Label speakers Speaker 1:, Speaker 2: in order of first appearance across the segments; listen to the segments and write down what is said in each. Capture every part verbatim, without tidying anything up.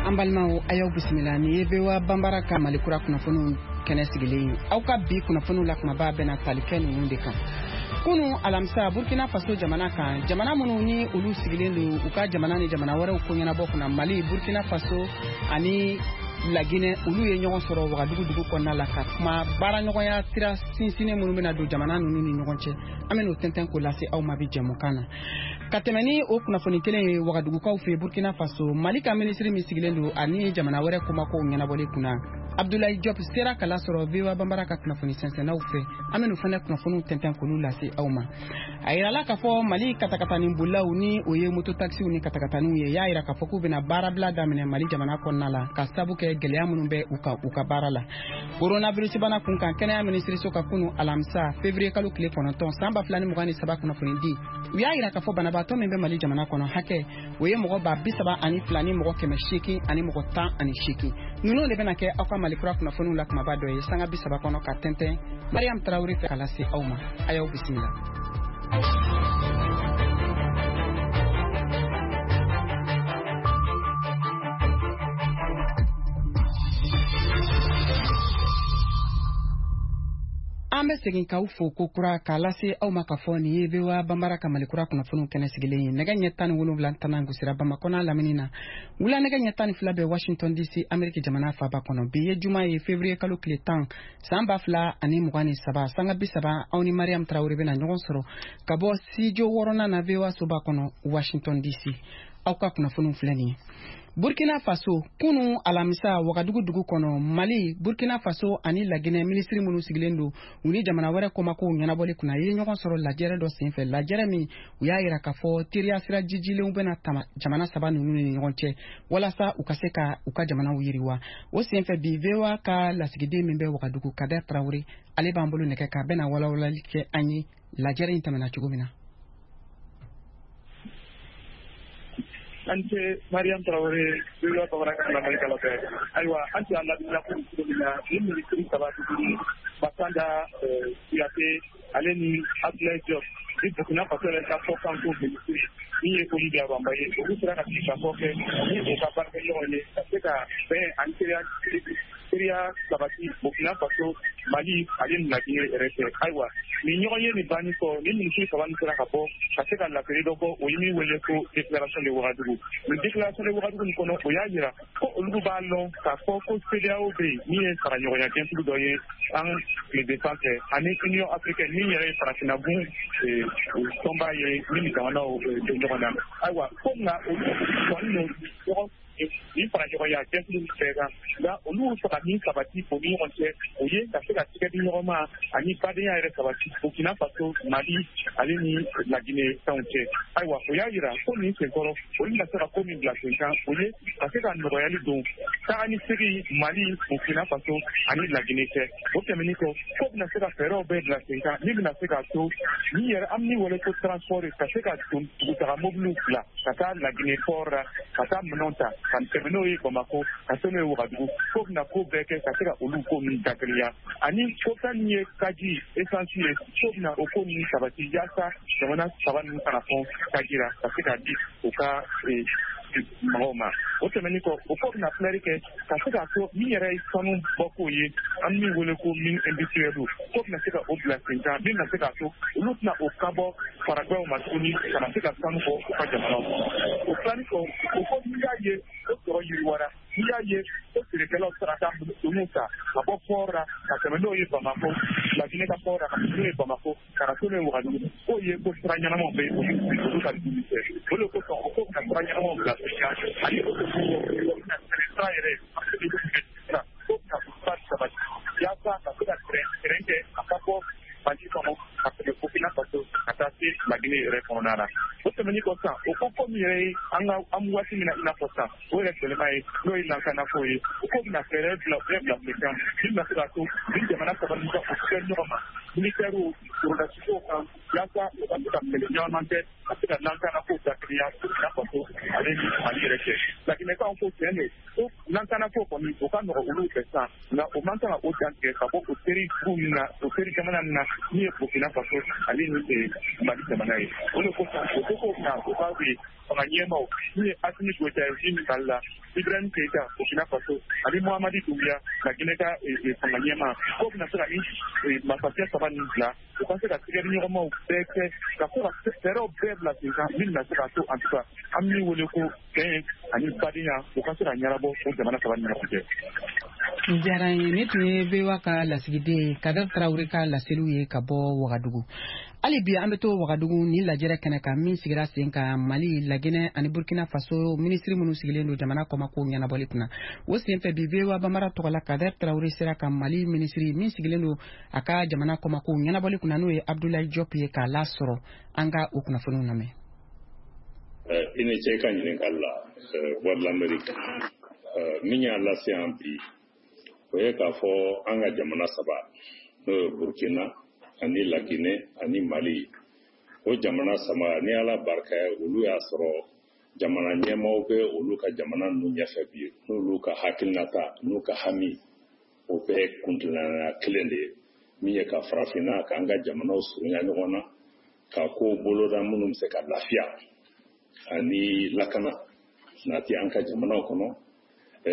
Speaker 1: An balimaw, a y'aw bisimila. Ni ye V O A Banbara ka Mali kura kunnafoniw kɛnɛ sigilen ye. Aw ka bi kunnafoniw la, kumaba bɛna tali kɛ ninnu de kan. Kunu alamisa, Burkina Faso jamana kan, jamana minnu ni olu sigilen don u ka jamana ni jamana wɛrɛw ko ɲɛnabɔ kunna, Mali, Burkina Faso ani Laginɛ, olu ye ɲɔgɔn sɔrɔ Wagadugu dugu kɔnɔna la ka kuma baaraɲɔgɔnya sira sinsinnen minnu bɛna don jamana ninnu ni ɲɔgɔn cɛ. An bɛn'o tɛntɛn k'o lase aw ma bi jɛmukan na. Ka tɛmɛ ni o kunnafoni kelen ye, Wagadugukaw fɛ, Burkina Faso, Mali ka minisiri min sigilen don ani jamana wɛrɛ komakow ɲɛnabɔli kunna, Abdoulaye Diop, sera ka lasɔrɔ V O A Banbara ka kunnafoni sɛnsɛnnaw fɛ. An bɛn'o fana kunnafoniw tɛntɛn k'olu lase aw ma. A yirala k'a fɔ Mali katakatani bolilaw, ni o ye moto taxi w ni katakataniw ye, y'a yira k'a fɔ k'u bɛna baarabila daminɛ Mali jamana kɔnɔna la ka sabu kɛ gɛlɛya minnu bɛ u kan u ka baara la. Coronavirus bana kun kan, kɛnɛya minisiriso ka kunu alamisa février kalo tile kɔnɔntɔn san ba fila ni mugan ni saba kunnafoni di, u y'a yira k'a fɔ banabaatɔ min bɛ Mali jamana kɔnɔ hakɛ, o ye mɔgɔ ba bi saba ani fila ni mɔgɔ kɛmɛ seegin ani mɔgɔ tan ani seegin. Ninnu de bɛna kɛ aw ka Mali kura kunnafoniw la kumaba dɔ ye sanga bi saba kɔnɔ, ka tɛntɛn Mariam Tarawele fɛ ka lase aw ma. A y'aw bisimila. An bɛ segin k'aw fo ko kura k'a lase aw ma k'a fɔ nin ye V O A Banbara ka Mali kura kunnafoniw kɛnɛ sigilen ye. Nɛgɛ ɲɛ tan ni wolonwula tanan gosira Bamakɔ n'a lamini na, wula nɛgɛ ɲɛ tan ni fila bɛ Washington D C, Ameriki jamana faba kɔnɔ. Bi ye juma ye, février kalo tile tan san ba fila ani mugan ni saba. Sanga bi saba, aw ni Mariam Tarawele bɛna ɲɔgɔn sɔrɔ ka bɔ studio wɔɔrɔnan na V O A soba kɔnɔ, Washington D C. Aw ka kunnafoniw filɛ nin ye. Burkina Faso, kunu alamisa, Wagadugu dugu kɔnɔ, Mali, Burkina Faso ani Laginɛ minisiri minnu sigilen don u ni jamana wɛrɛ komakow ɲɛnabɔli kunna ye ɲɔgɔn sɔrɔ lajɛrɛ dɔ senfɛ, lajɛrɛ min u y'a yira k'a fɔ teriya sira jijilenw bɛna tama jamana saba ninnu ni ɲɔgɔn cɛ walasa u ka se ka u ka jamanaw yiriwa. O senfɛ bi, V O A ka lasigiden min bɛ Wagadugu, Kader Tarawele, ale b'an bolo nɛgɛ kan, bɛna walawalali kɛ an ye lajɛrɛ in tɛmɛna cogo min na.
Speaker 2: An ce Mariam Tarawele, V O A bamanankan lamɛnnikɛlaw fɛ. Ayiwa, an tun y'a ladiliya ko cogo min na, ni minisiri saba tuguni, Masanda Kuyate, ale ni Abdoulaye Diop ni Burkina Faso yɛrɛ ka fɔkanko minisiri min ye Olivia Bamba ye, olu sera ka sigikafɔ kɛ ni u ka baarakɛɲɔgɔn ye ka se ka bɛn ani teriya teriya sabati Burkina Faso, Mali ale ni Laginɛ yɛrɛ cɛ. Ayiwa, nin ɲɔgɔn ye nin banni kɔ, ni minisiri saba nin sera ka bɔ ka se ka laseli dɔ bɔ, o ye min wele ko déclaration de Ouagadougou. Nin déclaration de Ouagadougou nin kɔnɔ, o y'a yira ko olu b'a lɔn k'a fɔ ko CEDEAO bɛ yen, min ye faraɲɔgɔnya jɛkulu dɔ ye an tilebin fan fɛ, ani Union africaine, min yɛrɛ ye farafinna gun tɔnba ye, min ni jamanaw bɛ ɲɔgɔn na. Ayiwa, ko nka olu sɔnni don ɲɔgɔn nin faraɲɔgɔnya jɛkulu min bɛɛ kan, nka olu fɛ ka min sabati o ni ɲɔgɔn cɛ, o ye ka se ka tigɛ di ɲɔgɔn ma ani badenya yɛrɛ sabati Burkina Faso, Mali ale ni Laginɛ fɛnw cɛ. Ayiwa, o y'a yira ko nin senkɔrɔ, olu bɛna se ka ko min bila sen kan, o ye ka se ka nɔgɔyali don taga ni segin Mali, Burkina Faso ani Laginɛ cɛ. O tɛmɛnen kɔ, ko bɛna se ka fɛɛrɛw bɛɛ bila sen kan min bɛna se k'a to ni yɛrɛ an min wele ko transport, ka se ka don dugutaga mobiliw bila ka taa Laginɛ port la, ka taa minɛnw ta ka tɛmɛ n'o ye Bamako, ka se n'o ye Wagadugu. Ko bɛna ko bɛɛ kɛ ka se ka olu ko ninnu dateliya, ani ko fɛn min ye taji essence ye, ko bɛna o ko ninnu sabati yaasa jamana saba ninnu kana fɔn taji la ka se k'a di u ka mɔgɔw ma. O tɛmɛnen kɔ, o ko bɛna filɛri kɛ ka se k'a to min yɛrɛ ye sanu bɔko ye, an min wele ko mine industrielle, ko bɛna se ka o bila sen kan min bɛna se k'a to olu tɛna o kabɔ faragɛw ma tuguni ka na se ka sanu bɔ u ka jamanaw kɔnɔ. O tilali kɔ, o ko n'i y'a ye ko sɔrɔ yiriwara, n'i y'a ye ko feerekɛlaw sera ka doniw ta ka bɔ port la ka tɛmɛ n'o ye Bamako, Laginɛ ka port la, ka tɛmɛ n'o ye Bamako, ka na to n'o ye Wagadugu, k'o ye ko sira ɲɛnamaw bɛ olu olu ka dumuni kɛ. O de kosɔn, o ko bɛna sira ɲɛnamaw bila sen kan, ani o bɛna sira yɛrɛ sira ko bɛna sira sabati yaasa ka se ka tɛrɛn kɛ a ka bɔ Mali kɔnɔ ka tɛmɛ Burkina Faso ka taa se Laginɛ yɛrɛ kɔnɔna na. O tɛmɛnen kɔ sisan, o ko ko min yɛrɛ ye an ka an waati min na, i n'a fɔ sisan o yɛrɛ gɛlɛma ye, n'o ye lakanako ye, o ko bɛna fɛɛrɛ bila bɛɛ bila sen kan min bɛna se k'a to ni jamana saba ninnu ka o kɛ ɲɔgɔn ma militaires. sɔrɔdasikow kan yaasa u ka se ka kɛlɛ ɲɔgɔn kɛ ka se ka lankana kow dakiriya Burkina Faso ale ni Mali yɛrɛ cɛ. Laginɛkaw ko tiɲɛ don ko lankana ko kɔni o ka nɔgɔ olu fɛ sisan, nka o man kan ka o dantigɛ ka bɔ o teri dugu min na, o teri jamana min na min ye Burkina Faso ale ni Mali jamana ye. O de kosɔn o ko ko na o ka fanga ɲɛmaaw min ye Assimi Goïta ye min Mali la, Ibrahim Keïta Burkina Faso ani Mohamadi Doumbouya Laginɛ ka fanga ɲɛmaa, k'o bɛna se ka ni masakɛ saba nin bila u ka se ka tigɛdiɲɔgɔnmaw bɛɛ kɛ ka se ka fɛɛrɛw bɛɛ bila sen kan min bɛna se k'a to en tout cas an min wele ko bɛn ani badenya u ka se ka ɲɛnabɔ o jamana saba ni ɲɔgɔn cɛ.
Speaker 1: Diyara n ye. Ne tun ye V O A ka lasigiden Kader Tarawele ka laseliw ye ka bɔ Wagadugu. Hali bi an bɛ to Wagadugu ni lajɛrɛ kɛnɛ kan min sigira sen kan, Mali, Laginɛ ani Burkina Faso minisiri minnu sigilen don jamana kɔmako ɲɛnabɔli kunna. O senfɛ bi, V O A Bambara tɔgɔ la, Kader Tarawele sera ka Mali minisiri min sigilen don a ka jamana kɔmako ɲɛnabɔli kunna, n'o ye Abdoulaye Diop ye, k'a lasɔrɔ. An ka o kunnafoniw lamɛn.
Speaker 3: I ni ce i ka ɲininkali la, Voix de l'Amérique. Min y'a lase yan bi, o ye k'a fɔ an ka jamana saba, n'o ye Burkina ani Laginɛ ani Mali, o jamana saba, ni Ala barika ye, olu y'a sɔrɔ jamana ɲɛmaaw bɛ olu ka jamana ninnu ɲɛfɛ bi, n'olu ka hakilinata n'u ka hami, o bɛɛ kuntilenna kelen de ye, min ye ka farafinna k'an ka jamanaw surunya ɲɔgɔn na, ka kow boloda minnu bɛ se ka lafiya ani lakana nati an ka jamanaw kɔnɔ,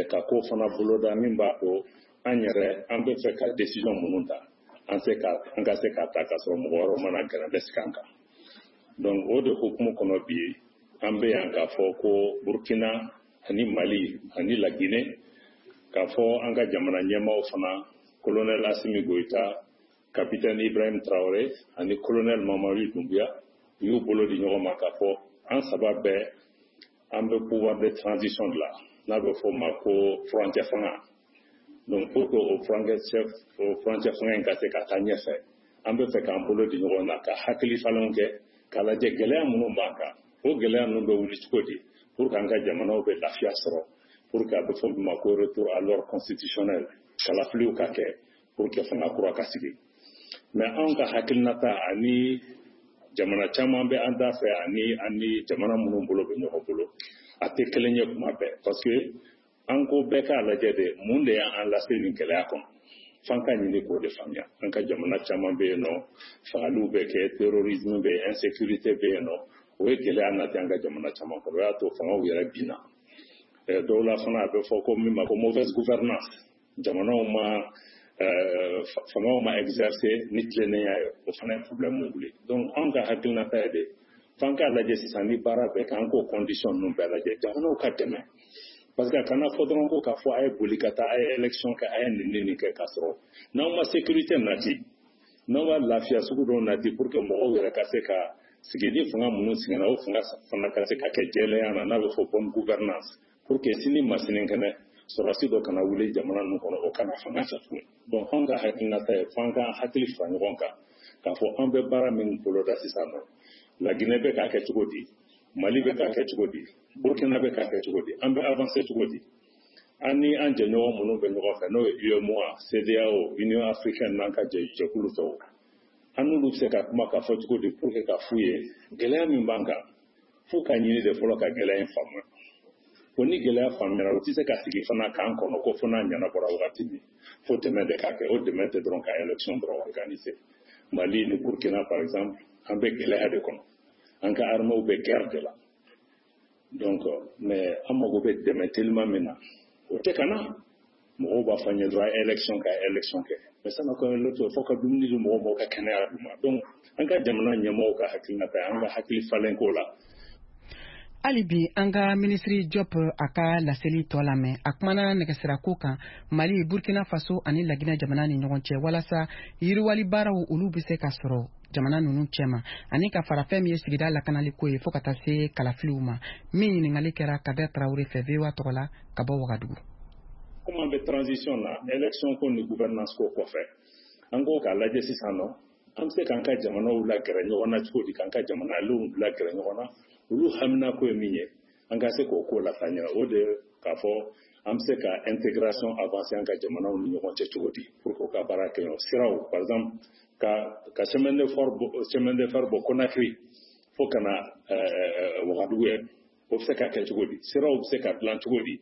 Speaker 3: ka ko fana boloda min b'a to an yɛrɛ an bɛ fɛ ka décision minnu ta, an se ka an ka se k'a ta k'a sɔrɔ mɔgɔ wɛrɛw mana gɛrɛ sigi an kan. Donc o de hukumu kɔnɔ bi, an bɛ yan k'a fɔ ko Burkina ani Mali ani Laginɛ, k'a fɔ an ka jamana ɲɛmaaw fana, colonel Assimi Goïta, capitaine Ibrahim Traoré ani colonel Mamadi Doumbouya, u y'u bolo di ɲɔgɔn ma k'a fɔ an saba bɛɛ an bɛ pouvoir de transition de la, n'a bɛ fɔ o ma ko furancɛ fanga. Donc pour que o furancɛ o furancɛ fanga in ka se ka taa ɲɛfɛ, an bɛ fɛ k'an bolo di ɲɔgɔn na ka hakili falenw kɛ k'a lajɛ gɛlɛya minnu b'an kan, o gɛlɛya ninnu bɛ wuli cogo di pour que an ka jamanaw bɛ lafiya sɔrɔ, pour que a bɛ fɔ min ma ko retour à l'ordre constitutionnel, kalafiliw ka kɛ pour que fanga kura ka sigi. Mais anw ka hakilinata ani jamana caman bɛ an da fɛ ani ani jamana minnu bolo bɛ ɲɔgɔn bolo, a tɛ kelen ye kuma bɛɛ, parce que an ko bɛɛ k'a lajɛ de mun de y'an lase nin gɛlɛya kɔnɔ, f'an ka ɲini k'o de faamuya. An ka jamana caman bɛ yen nɔ, fagaliw bɛ kɛ, terrorisme bɛ yen, insécurité bɛ yen nɔ, o ye gɛlɛya nati an ka jamana caman kɔnɔ, o y'a to fangaw yɛrɛ binna. Dɔw la fana, a bɛ fɔ ko min ma ko mauvaise gouvernance, jamanaw ma fangaw ma exercer ni tilennenya ye, o fana ye problème wuli. Donc anw ka hakilinata ye de f'an k'a lajɛ sisan ni baara bɛɛ kɛ, an k'o condition ninnu bɛɛ lajɛ, jamanaw ka dɛmɛ, parce que a kana fɔ dɔrɔn ko k'a fɔ a ye boli ka taa, a ye élection kɛ, a ye nin ni nin kɛ, k'a sɔrɔ n'aw ma sécurité nati, n'aw ma lafiya sugu dɔw nati pour que mɔgɔw yɛrɛ ka se ka sigi ni fanga minnu sigira, o fanga fana ka se ka kɛ jɛlenya na, n'a bɛ fɔ bonne gouvernance, pour que sini ma sinikɛnɛ sɔrɔdasi dɔ kana wuli jamana ninnu kɔnɔ, o kana fanga ta tuguni. Donc anw ka hakilinata ye f'an ka hakili fara ɲɔgɔn kan k'a fɔ an bɛ baara min boloda sisan nɔ, Laginɛ bɛ k'a kɛ cogo di, Mali bɛ k'a kɛ cogo di, Burkina bɛ k'a kɛ cogo di, an bɛ avancer cogo di, an ni an jɛɲɔgɔn minnu bɛ ɲɔgɔn fɛ, n'o ye UEMOA, CEDEAO, Union africaine n'an ka jɛkulu tɔw, an n'olu bɛ se ka kuma k'a fɔ cogo di pour que ka f'u ye gɛlɛya min b'an kan, f'u ka ɲini de fɔlɔ ka gɛlɛya in faamuya. O ni gɛlɛya faamuyara, o tɛ se ka sigi fana k'an kɔnɔ ko fo n'a ɲɛnabɔra wagati min, fo dɛmɛ de ka kɛ. O dɛmɛ tɛ dɔrɔn ka élection dɔrɔn organiser. Mali ni Burkina par exemple, an bɛ gɛlɛya de kɔnɔ, an ka armées bɛ guerre de la. Donc mais an mago bɛ dɛmɛ teliman min na, o tɛ ka na. Mɔgɔw b'a fɔ an ye dɔrɔn élection ka élection kɛ, mais sanni ka élection, fo ka dumuni di mɔgɔw ma, ka kɛnɛya d'u ma. Donc an ka jamana ɲɛmɔgɔw ka hakilinata ye an ka hakili falen ko la.
Speaker 1: Hali bi an ka minisiri Diop a ka laseli tɔ lamɛn. A kumana nɛgɛsirako kan Mali, Burkina Faso ani Laginɛ jamana ni ɲɔgɔn cɛ, walasa yiriwali baaraw olu bɛ se ka sɔrɔ jamana ninnu cɛma, ani ka fara fɛn min ye sigida lakanaliko ye, fo ka taa se kalafiliw ma. Min ɲininkali kɛra Kader Tarawele fɛ V O A tɔgɔ la ka bɔ Wagadugu.
Speaker 3: Komi an bɛ transition na, élection ko ni gouvernance ko kɔfɛ, an ko k'a lajɛ sisan nɔ an bɛ se k'an ka jamanaw lagɛrɛ ɲɔgɔn na cogo di, k'an ka jamanadenw lagɛrɛ ɲɔgɔn na, olu hamina ko ye min ye, an ka se k'o ko lataa ɲɛ. O de k'a fɔ An bɛ se ka intégration avancer an ka jamanaw ni ɲɔgɔn cɛ cogo di pour que u ka baara kɛ ɲɔgɔn siraw, par exemple ka ka chemin de fer bɔ chemin de fer bɔ Conakry fo ka na Wagadugu yɛrɛ, o bɛ se ka kɛ cogo di? Siraw bɛ se ka dilan cogo di?